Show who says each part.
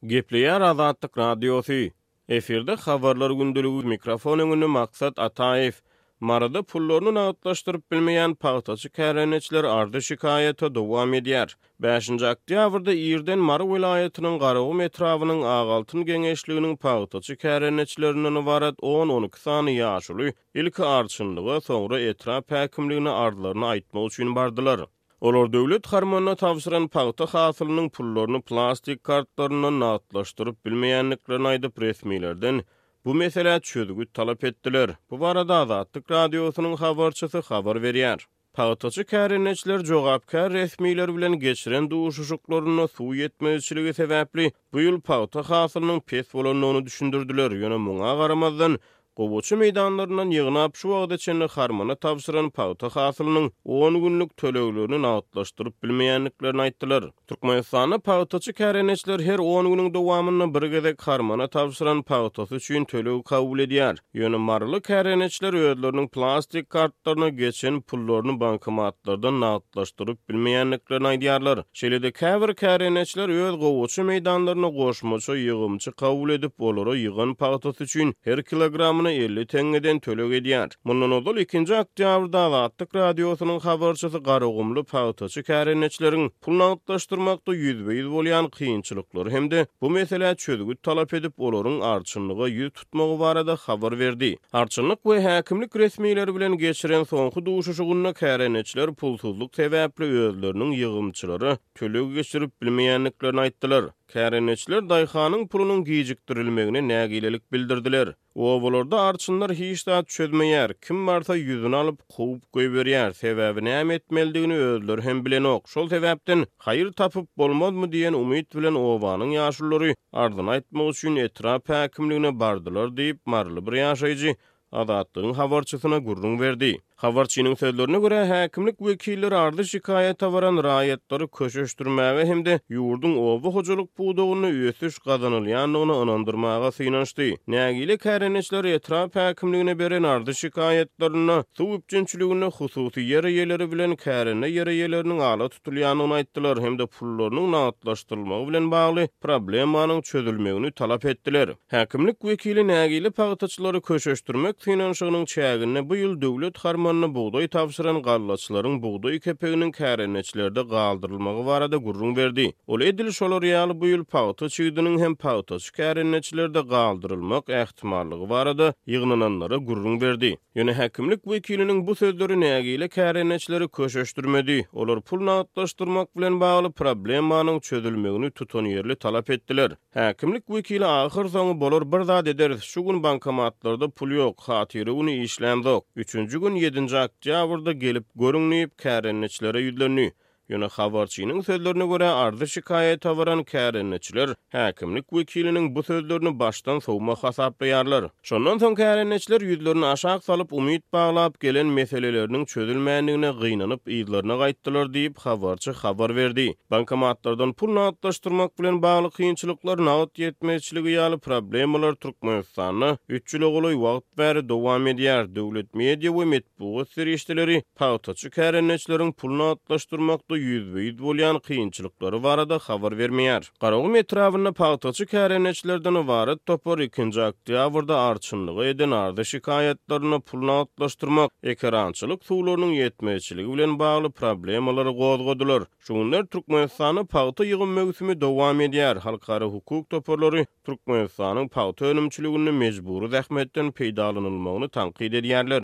Speaker 1: Gepleýär Azatlyk Radiosy. Efirde Habarlar gündeligi, mikrofon öňünde Maksat Ataýew. Maryda pullaryny nagtlaşdyryp bilmeýän pagtaçy kärendeçiler arzy-şikaýata dowam edýär. Bäşinji oktýabrda irden Mary welaýatynyň Garagum etrabynyň Agaltyn geňeşliginiň pagtaçy kärendeçilerinden ybarat on-on iki sany ýaşuly ilki arçynlyga, soňra etrap häkimligine arzlaryny aýtmak üçin bardylar. Olar döwlet harmanyna tabşyran pagta hasylynyň pullaryny plastik kartlaryndan nagtlaşdyryp bilmeýändiklerini aýdyp, resmilerden bu meselä çözgüt talap etdiler. Bu barada Azatlyk Radiosynyň habarçysy habar berýär. Pagtaçy kärendeçiler jogapkär resmiler bilen geçiren duşuşyklarynda suw ýetmezçiligi sebäpli bu ýyl pagta hasylynyň pes bolandygyny düşündirdiler, ýöne muňa garamazdan, Gowaça meýdanlaryndan ýygnap, şu wagta çenli harmana tabşyran pagta hasylynyň on günlük töleglerini nagtlaşdyryp bilmeýändiklerini aýtdylar. Türkmenistanda pagtaçy kärendeçiler her on günüň dowamynda bir gezek harmana tabşyran pagtasy üçin töleg kabul edýär. Ýöne maryly kärendeçiler özleriniň plastik kartlaryna geçen pullaryny bankomatlardan nagtlaşdyryp bilmeýändiklerini aýdýarlar. Şeýle-de käbir kärendeçiler öz gowaça meýdanlaryna goşmaça ýygymçy kabul edip, olara ýygan pagtasy üçin her kilogramyna 50 teňňeden töleg edýär. Mundan ozal ikinji oktýabrda Azatlyk Radiosynyň habarçysy garagumly pagtaçy kärendeçileriň pul nagtlaşdyrmakda ýüzbe-ýüz bolýan kynçylyklary hem-de bu meselä çözgüt talap edip, olaryň arçynlyga ýüz tutmagy barada habar berdi. Arçynlyk we häkimlik resmileri bilen geçiren soňky duşuşygynda kärendeçiler pulsuzlyk sebäpli özleriniň ýygymçylara töleg geçirip bilmeýändiklerini aýtdylar. Kärendeçiler daýhanyň pulunyň gijikdirilmegine nägilelik bildirdiler. Obalarda arçynlar hiç zat çözmeýär, kim barsa ýüzüni alyp, kowup goýberýär, sebäbi näme etmelidigini özleri hem bilenok. Şol sebäpden, haýyr tapyp bolmazmy diýen umyt bilen obanyň ýaşululary arzyny aýtmak üçin etrap häkimligine bardylar diýip, maryly bir ýaşaýjy Azatlygyň habarçysyna gürrüň berdi. Habarçynyň sözlerine görä, häkimlik wekilleri arzy-şikaýata baran raýatlary köşeşdirmäge hem-de ýurduň oba hojalyk pudagynda ösüş gazanylýandygyna ynandyrmaga synanyşdy. Nägile kärendeçiler etrap häkimligine beren arzy-şikaýatlarynda suw üpjünçiliginde hususy ýer eýeleri bilen kärende ýer eýeleriniň ala tutulýandygyny aýtdylar hem-de pullarynyň nagtlaşdyrylmagy bilen bagly problemanyň çözülmegini talap etdiler. Häkimlik wekili nägile pagtaçylary köşeşdirmek synanyşygynyň çäginde bu ýyl döwlet harmanyna bugdaý tabşyran gallaçylaryň bugdaý kepeginiň kärendeçilerde galdyrylmagy barada gürrüň berdi. Ol edil şolar ýaly bu ýyl pagta çigidiniň hem pagtaçy kärendeçilerde galdyrylmak ähtimallygy barada ýygnananlara gürrüň berdi. Ýöne häkimlik wekiliniň bu sözleri nägile kärendeçileri köşeşdirmedi. Olar pul nagtlaşdyrmak bilen bagly problemanyň çözülmegini tutanýerli talap etdiler. Häkimlik wekili ahyrsoňy bolar bir zat ederis, şu gün bankomatlarda pul ýok, hatyra güni işlämzok, üçünji gün ýedinji oktýabrda gelip görüň diýip, kärendeçilere ýüzlendi. Ýöne habarçynyň sözlerine görä, arzy-şikaýata baran kärendeçiler häkimlik wekiliniň bu sözlerini başdan sowma hasaplaýarlar. Şondan soň kärendeçiler ýüzlerini aşak salyp, umyt baglap gelen meseleleriniň çözülmändigine gynanyp yzlaryna gaýtdylar diýip, habarçy habar berdi. Bankomatlardan pul nagtlaşdyrmak bilen bagly kynçylyklar, nagt ýetmezçiligi ýaly problemalar Türkmenistanda üç ýyla golaý wagt bäri dowam edýär. Döwlet media we metbugat serişdeleri pagtaçy kärendeçileriň pul nagtlaşdyrmakda ýüzbe-ýüz bolýan kynçylyklary barada habar bermeýär. Garagum etrabynda pagtaçy kärendeçilerden ybarat topar ikinji oktýabrda arçynlyga eden arza-şikaýatlarynda pul nagtlaşdyrmak, ekerançylyk suwlarynyň ýetmezçiligi bilen bagly problemalary gozgadylar. Şu günler Türkmenistanda pagta ýygym möwsümi dowam edýär. Halkara hukuk toparlary Türkmenistanyň pagta önümçiliginde mejbury zähmetden peýdalanylmagyny tankyt edýärler.